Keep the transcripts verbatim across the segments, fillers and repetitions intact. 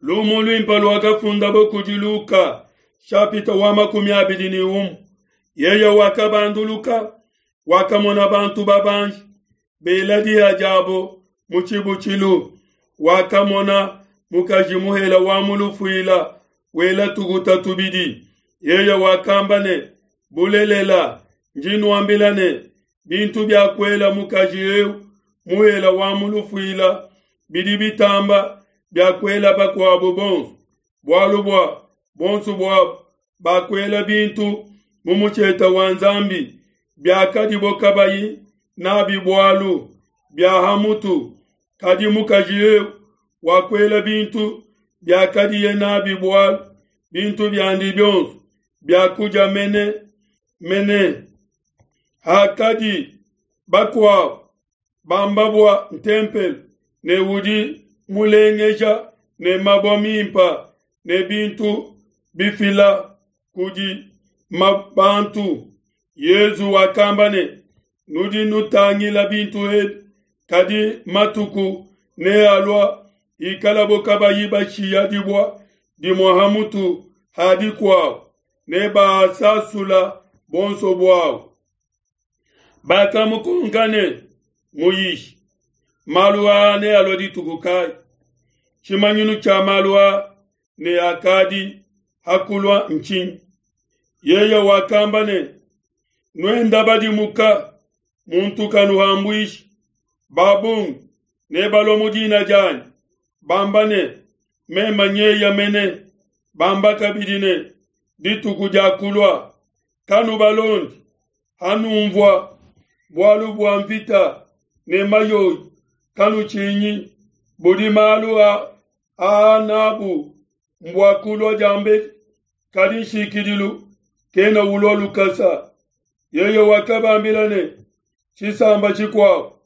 Lumu luimpe luakafundabo kudi Luka, shapita wa makumi abidi ne umue. Yeye wakabanduluka, wakamona bantu babanji bela diha diabo mu tshibutshilu. Wakamona mukaji muhela wa mu lufuila wela tukuta tubidi. Yeye wakamba ne, bulelela ndi nuambila ne, bintu bia kuela mukaji eu muhela wa mu lufuila bidi bitamba bia kuela bakuabo bonso, bualu bua bonso buabo bakuela bintu mu mutshieta wa Nzambi biakadibo kabayi nabi bualu bia hamutu. Kadi mukaji eu wakuela bintu biakadiye nabi bualu, bintu biandi bionso biakudia mene mene. Hakadi bakuabo bamba bua ntempelo ne udi mulengeja ne mabue mimpa ne bintu bifila kudi bantu, Yezu wakamba ne, nudi nutangila bintu ebi, kadi matuku nealua ikalabo kabayi bashiya dibua dimue hamutu ha dikuabo, ne baasasula bonso buabo. Bakamukonka ne, muyishi, malu aa nealua dituku kayi? Tshimanyinu tshia malu aa ne akadi hakulua ntshinyi? Yeye wakamba ne, nuenda badimuka, muntu kanuhambuishi. Babungi nebalue mu dina dianyi, bamba ne, meme nyeya mene, bamba kabidi ne, dituku diakulua. Kanubalondi. Hanumvua bualu bua mvita ne mayoyi, kanutshinyi. Budi malu aa nabu mbua kulua diambedi, kadi nshikidilu kena ulua lukasa. Yeye wakabambila ne, tshisamba tshikuabo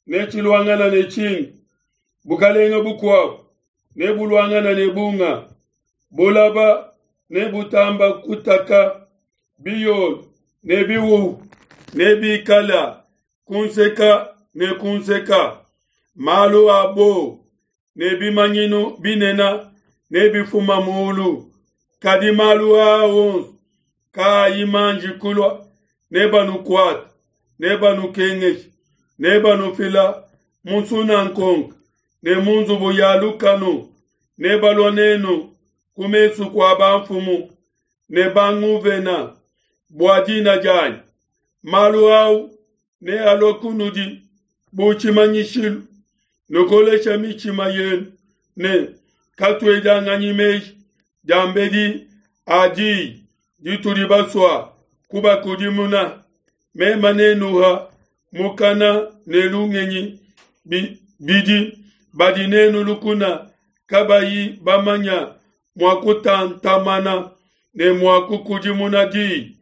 netshiluangana ne tshingi, bukalenge bukuabo nebuluangana ne bunga, bulaba nebutamba kutaka, biyolo ne bihuhu nebikala kunseka ne kunseka, malu a bo ne bimanyinu binene nebifuma mulu. Kadi malu aa onso kaayi manji kulua, nebanukuate, nebanukengeshe, nebanufila mu nsunankonka ne mu nzubu ya lukanu, nebalua nenu ku mesu kua bamfumu ne banguvena bua dina dianyi. Malu au nealue kunudi bu tshimanyishilu. Nukolesha mitshima yenu ne katuedianganyi meji diambedi a diyi ditudi basua kubakudimuna. Mema nenuha mukana ne lungenyi bidi badi nenu lukuna kabayi bamanya mua kutantamana ne mua kukudimuna diyi.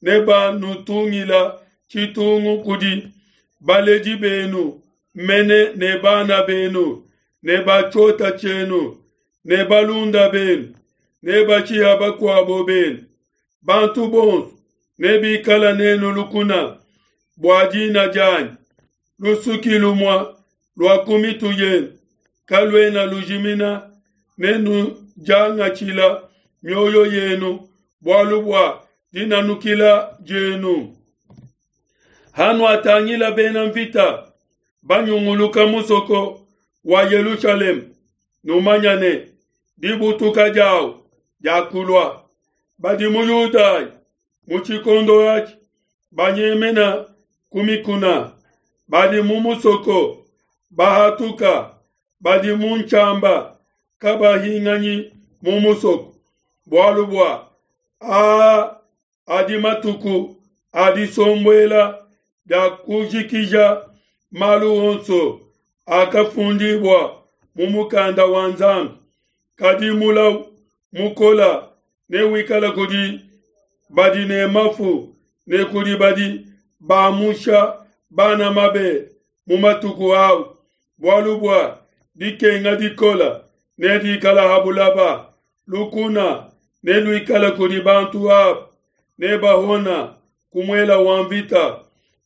Nebanutungila tshitungu kudi baledi benu mene ne bana benu ne batshiota tshienu ne balunda benu ne batshiha bakuabo benu. Bantu bonso nebikala nenu lukuna bua dina dianyi. Lusuki lumue lua ku mitu yenu kaluena lujimina, nenudiangatshila mioyo yenu bualu bua dinanukila dienu. Hanuatangila bena mvita banyunguluka musoko wa Yelushalema, numanya ne dibutuka diawu diakulua. Badi mu Yudaya mu tshikondo atshi banyemena ku mikuna, badi mu musoko bahatuka, badi mu ntshiamba kabahinganyi mu musoko, bualu bua aa adi matuku a disombuela dia kujikija malu onso akafundibua mu mukanda wa Nzambi. Kadi mulau mukola newikala kudi badi ne mafu ne kudi badi bamusha bana mabe mu matuku au, bualu bua dikenga dikola nedikala ha bulaba, lukuna neluikala kudi bantu aba, nebahona ku muela wa mvita,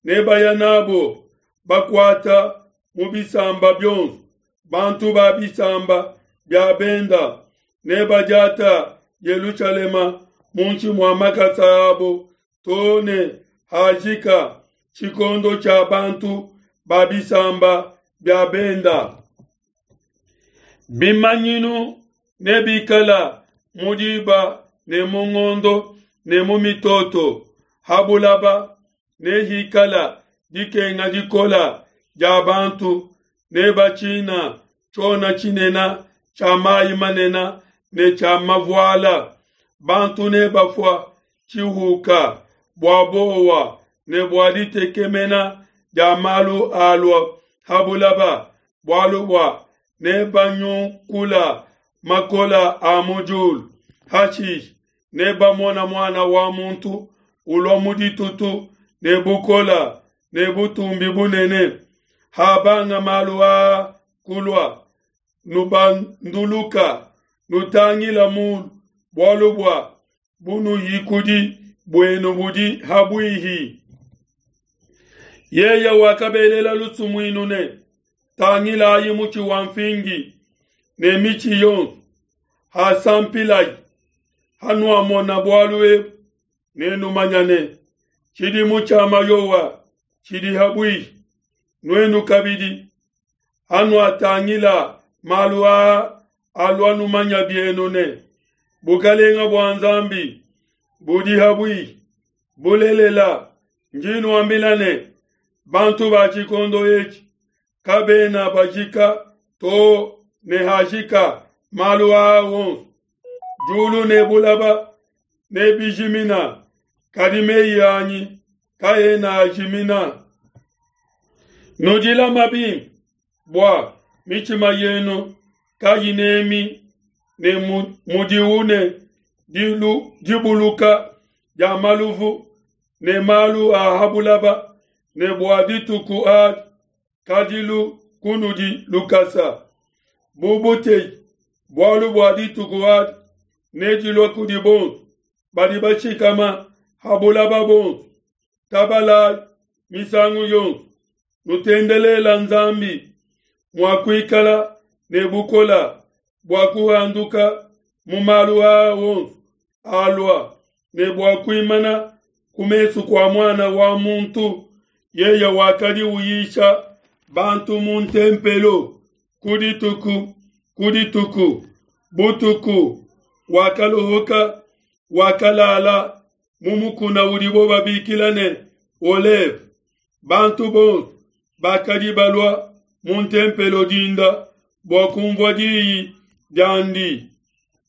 nebaya nabo bakuata mu bisamba bionso, bantu ba bisamba bia benda Nebadiata Yelushalema muinshi mua makasa abo too ne hajika tshikondo tshia bantu ba bisamba bia benda. Bimanyinu nebikala mu diba ne mu ngondo ne mu mitoto ha bulaba, nehikala dikenga dikola dia bantu, nebatshina tshiona tshinene tshia mai manene ne tshia mavuala. Bantu nebafua tshihuka bua bowa ne bua ditekemena dia malu alua ha bulaba, bualu bua nebanyukula makola a mu diulu. Hashishe nebamona Muana wa Muntu ulua mu ditutu ne bukola ne butumbi bunene. Habanga malu aa kulua, nubanduluka, nutangila mulu, bualu bua bunuhikudi buenu budi ha buihi. Yeye wakabelela lusumuinu ne, tangilayi mutshi wa mfingi ne mitshi yonso, hasampilayi. Hanuamona bualu ebu, nenumanye ne, tshidimu tshia mayowa tshidi ha buihi. Nuenu kabidi, hanuatangila malu aa alua, numanya bienu ne, bukalenga bua Nzambi budi ha buihi. Bulelela, ndi nuambila ne, bantu ba tshikondo etshi kabena bajika too ne hajika malu aa wonso. Diulu ne bulaba nebijimina, kadi meyi anyi kaena ajimina. Nudilama bimpe bua mitshima yenu kayinemi ne mudiu ne dibuluka dia maluvu ne malu a ha bulaba, ne bua dituku adi kadilu kunudi lukasa bu buteyi, bualu bua dituku adi nedilue kudi bonso badi bashikama ha bulaba bonso. Tabalayi misangu yonso, nutendelela Nzambi mua kuikala ne bukola bua kuhanduka mu malu aa wonso alua, ne bua kuimana ku mesu kua Muana wa Muntu. Yeye wakadi uyisha bantu mu ntempelo ku dituku ku dituku, butuku wakalohoka, wakalala mu mukuna udibo babikila ne Oleve. Bantu bonso bakadi balua mu ntempelo dinda bua kunvua diyi diandi.